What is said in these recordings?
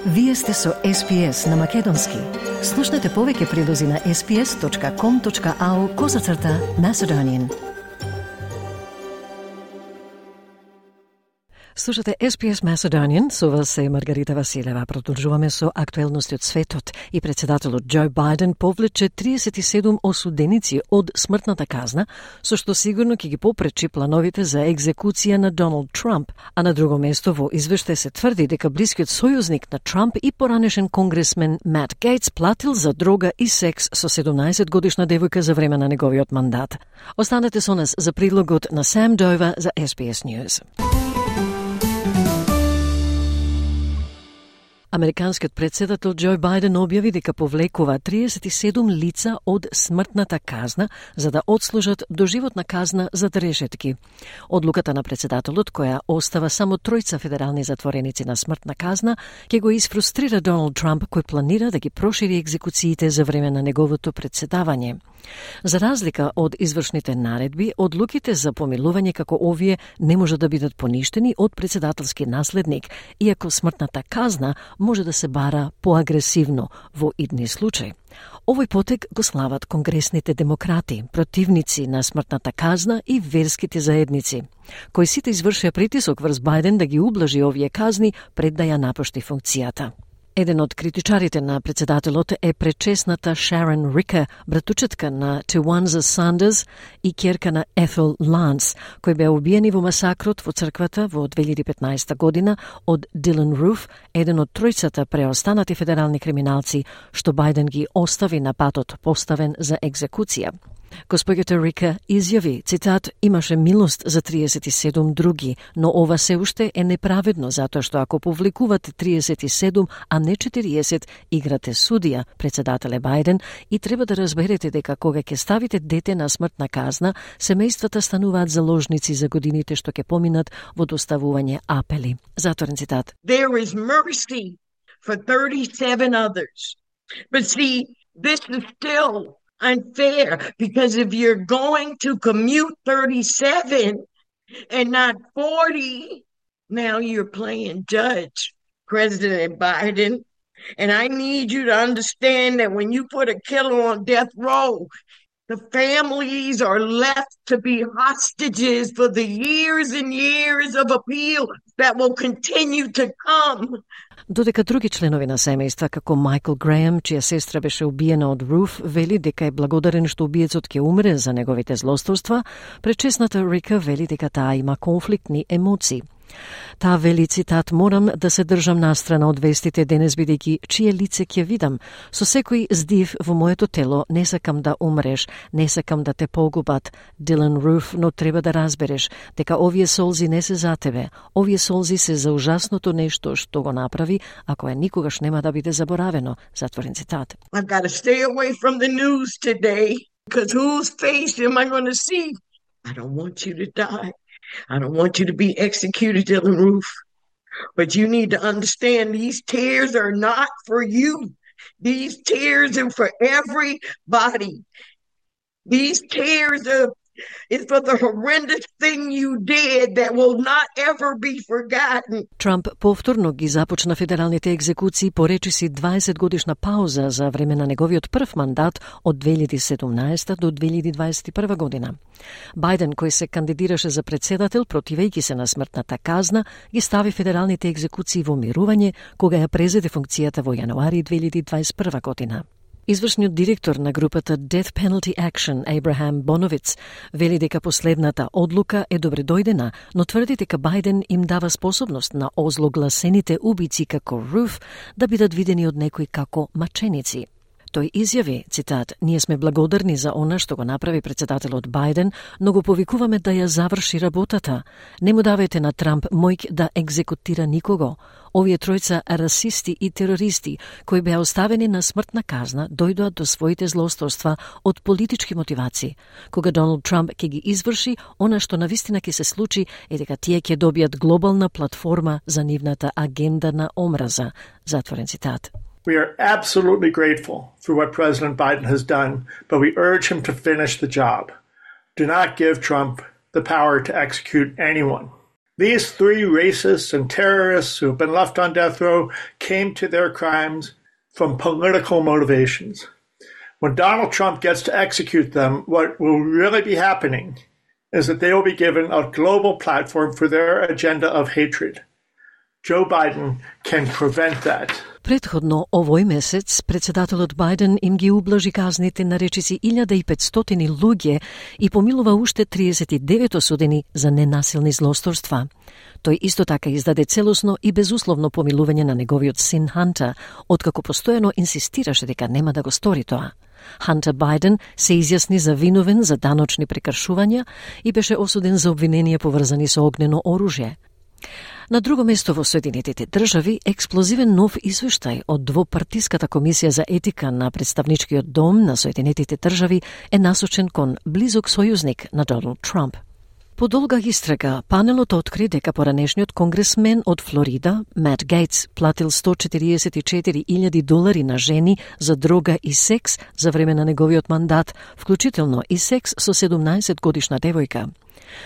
Вие сте со SPS на Македонски. Слушнете повеќе прилози на sps.com.au/Macedonian. Слушате SPS Macedonian, со вас е Маргарита Василева. Продолжуваме со актуелности од светот и председателот Џо Бајден повлече 37 осуденици од смртната казна, со што сигурно ќе ги попречи плановите за екзекуција на Доналд Трамп. А на друго место во извештај се тврди дека блискиот сојузник на Трамп и поранешен конгресмен Мат Гейтс платил за дрога и секс со 17-годишна девојка за време на неговиот мандат. Останете со нас за прилогот на Сам Дова за SPS News. Американскиот председател Џо Бајден објави дека повлекува 37 лица од смртната казна за да одслужат доживотна казна за решетки. Одлуката на председателот, која остава само 3 федерални затвореници на смртна казна, ќе го изфрустрира Доналд Трамп, кој планира да ги прошири екзекуциите за време на неговото председавање. За разлика од извршните наредби, одлуките за помилување како овие не може да бидат поништени од председателски наследник, иако смртната казна може да се бара поагресивно во идни случаи. Овој потек го слават конгресните демократи, противници на смртната казна и верските заедници, кои сите извршија притисок врз Бајден да ги ублажи овие казни пред да ја напушти функцијата. Еден од критичарите на председателот е пречесната Шарон Рика, братучетка на Тиуанза Сандерс и ќерка на Ethel Lance, кои беа убиени во масакрот во црквата во 2015 година од Дилан Руф, еден од тројцата преостанати федерални криминалци што Бајден ги остави на патот поставен за екзекуција. Госпоѓата Рика изјави, цитат, имаше милост за 37 други, но ова се уште е неправедно затоа што ако повлекувате 37, а не 40, играте судија, председателе Бајден, и треба да разберете дека кога ќе ставите дете на смртна казна, семејствата стануваат заложници за годините што ќе поминат во доставување апели. Затворен цитат. There is mercy for 37 others. But see, this is still unfair, because if you're going to commute 37 and not 40, now you're playing judge, President Biden. And I need you to understand that when you put a killer on death row, the families are left to be hostages for the years and years of appeal that will continue to come. Додека други членови на семејства, како Майкл Греем, чија сестра беше убиена од Руф, вели дека е благодарен што убиецот ќе умре за неговите злосторства, пречесната Рика вели дека таа има конфликтни емоции. Таа вели, цитат, морам да се држам настрана од вестите денес бидејќи чие лице ќе видам. Со секој здив во моето тело не сакам да умреш, не сакам да те погубат, Дилан Руф, но треба да разбереш дека овие солзи не се за тебе. Овие солзи се за ужасното нешто што го направи, а кое никогаш нема да биде заборавено. Затворен цитат. I've got to stay away from the news today, because whose face am I going to see? I don't want you to die. I don't want you to be executed, Dylan Roof. But you need to understand these tears are not for you. These tears are for everybody. These tears is for the horrendous thing you did that will not ever be forgotten. Трамп повторно ги започна федералните екзекуции по речиси 20-годишна пауза за време на неговиот прв мандат од 2017 до 2021 година. Бајден, кој се кандидираше за председател противејќи се на смртната казна, ги стави федералните екзекуции во мирување кога ја презеде функцијата во јануари 2021 година. Извршниот директор на групата Death Penalty Action, Абрахам Боновиц, вели дека последната одлука е добредојдена, но тврди дека Бајден им дава способност на озлогласените убици како Руф да бидат видени од некои како маченици. Тој изјави, цитат, ние сме благодарни за она што го направи председателот Бајден, но го повикуваме да ја заврши работата. Не му давајте на Трамп мојк да екзекутира никого. Овие тројца расисти и терористи, кои беа оставени на смртна казна, дојдоа до своите злосторства од политички мотивации. Кога Доналд Трамп ќе ги изврши, она што навистина ќе се случи е дека тие ќе добијат глобална платформа за нивната агенда на омраза. Затворен цитат. We are absolutely grateful for what President Biden has done, but we urge him to finish the job. Do not give Trump the power to execute anyone. These three racists and terrorists who have been left on death row came to their crimes from political motivations. When Donald Trump gets to execute them, what will really be happening is that they will be given a global platform for their agenda of hatred. Joe Biden can prevent that. Претходно овој месец, председателот Бајден им ги ублажи казните на речиси 1500 луѓе и помилува уште 39 осудени за ненасилни злосторства. Тој исто така издаде целосно и безусловно помилување на неговиот син Хантер, откако постојано инсистираше дека нема да го стори тоа. Хантер Бајден се изјасни за виновен за даночни прекршувања и беше осуден за обвиненија поврзани со огнено оружје. На друго место во Соединетите држави, експлозивен нов извештај од двопартиската комисија за етика на представничкиот дом на Соединетите држави е насочен кон близок сојузник на Доналд Трамп. По долга истрага, панелот откри дека поранешниот конгресмен од Флорида, Мат Гейтс, платил $144,000 на жени за дрога и секс за време на неговиот мандат, вклучително и секс со 17-годишна девојка.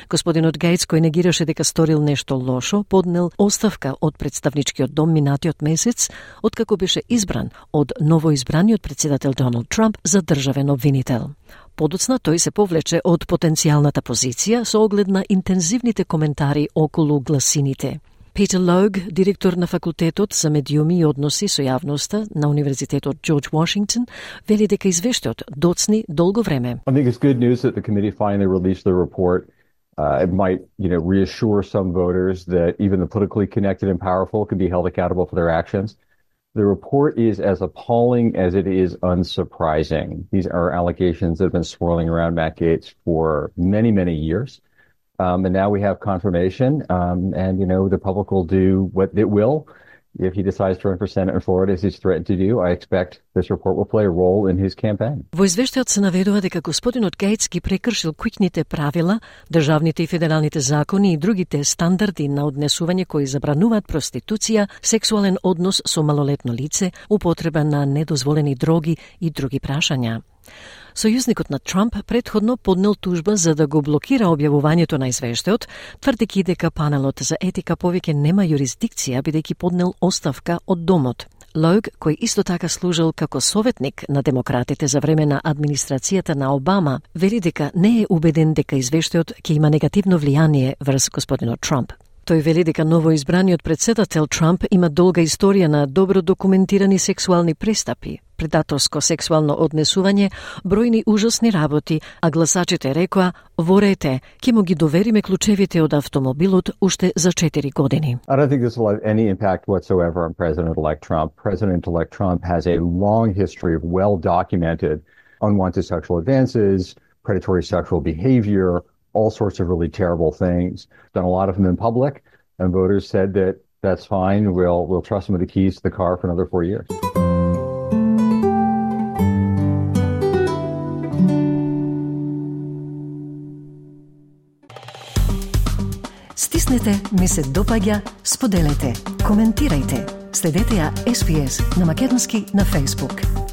Господинот Гейтс, кој негираше дека сторил нешто лошо, поднел оставка од представничкиот дом минатиот месец, откако беше избран од новоизбраниот председател Доналд Трамп за државен обвинител. Подоцна тој се повлече од потенцијалната позиција со оглед на интензивните коментари околу гласините. Питер Лог, директор на факултетот за медиуми и односи со јавноста на Универзитетот Джордж Вашингтон, вели дека извештајот доцни долго време. I think it's good news that the committee finally released the report. It might, reassure some voters that even the politically connected and powerful can be held accountable for their actions. The report is as appalling as it is unsurprising. These are allegations that have been swirling around Matt Gaetz for many, many years. And now we have confirmation. The public will do what it will. If he decides to run for Senate in Florida, as he's threatened to do, I expect this report will play a role in his campaign. Во извештајот се наведува дека господинот Гейтс ги прекршил куќните правила, државните и федералните закони и другите стандарди на однесување кои забрануваат проституција, сексуален однос со малолетно лице, употреба на недозволени дроги и други прашања. Сојузникот на Трамп претходно поднел тужба за да го блокира објавувањето на извештајот, тврдејќи дека панелот за етика повеќе нема јурисдикција бидејќи поднел оставка од домот. Лог, кој исто така служил како советник на демократите за време на администрацијата на Обама, вели дека не е убеден дека извештајот ќе има негативно влијание врз господинот Трамп. Тој вели дека новоизбраниот председател Трамп има долга историја на добро документирани сексуални престапи, предаторско сексуално однесување, бројни ужасни работи, а гласачите рекоа: "Ворете, ќе му ги довериме клучевите од автомобилот уште за 4 години." I don't think this will have any impact whatsoever on President-elect Trump. President-elect Trump has a long history of well-documented unwanted sexual advances, predatory sexual behavior, all sorts of really terrible things. Done a lot of them in public, and voters said that that's fine. We'll trust him with the keys to the car for another 4 years. Стиснете, ми се допаѓа, споделете, коментирајте. Следете ја SPS на македонски на Facebook.